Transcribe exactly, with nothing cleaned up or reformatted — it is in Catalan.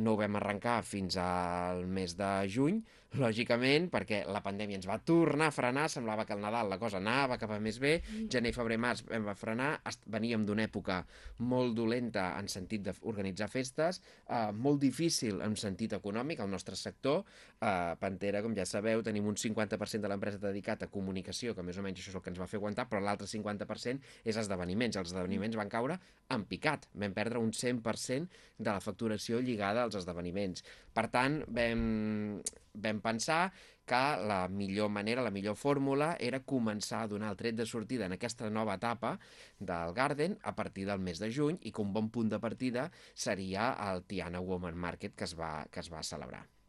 no ho vam arrencar fins al mes de juny, lògicament, perquè la pandèmia ens va tornar a frenar, semblava que al Nadal la cosa anava cap a més bé, gener, febrer, març vam va frenar, veníem d'una època molt dolenta en sentit d'organitzar festes, eh, molt difícil en sentit econòmic, el nostre sector, eh, Pantera, com ja sabeu, tenim un cinquanta per cent de l'empresa dedicat a comunicació, que més o menys això és el que ens va fer aguantar, però l'altre cinquanta per cent és esdeveniments. Els esdeveniments van caure en picat, vam perdre un cent per cent de la facturació lligada als esdeveniments. Per tant, vam, vam pensar que la millor manera, la millor fórmula era començar a donar el tret de sortida en aquesta nova etapa del Garden a partir del mes de juny i que un bon punt de partida seria el Tiana Woman Market que es va, que es va celebrar.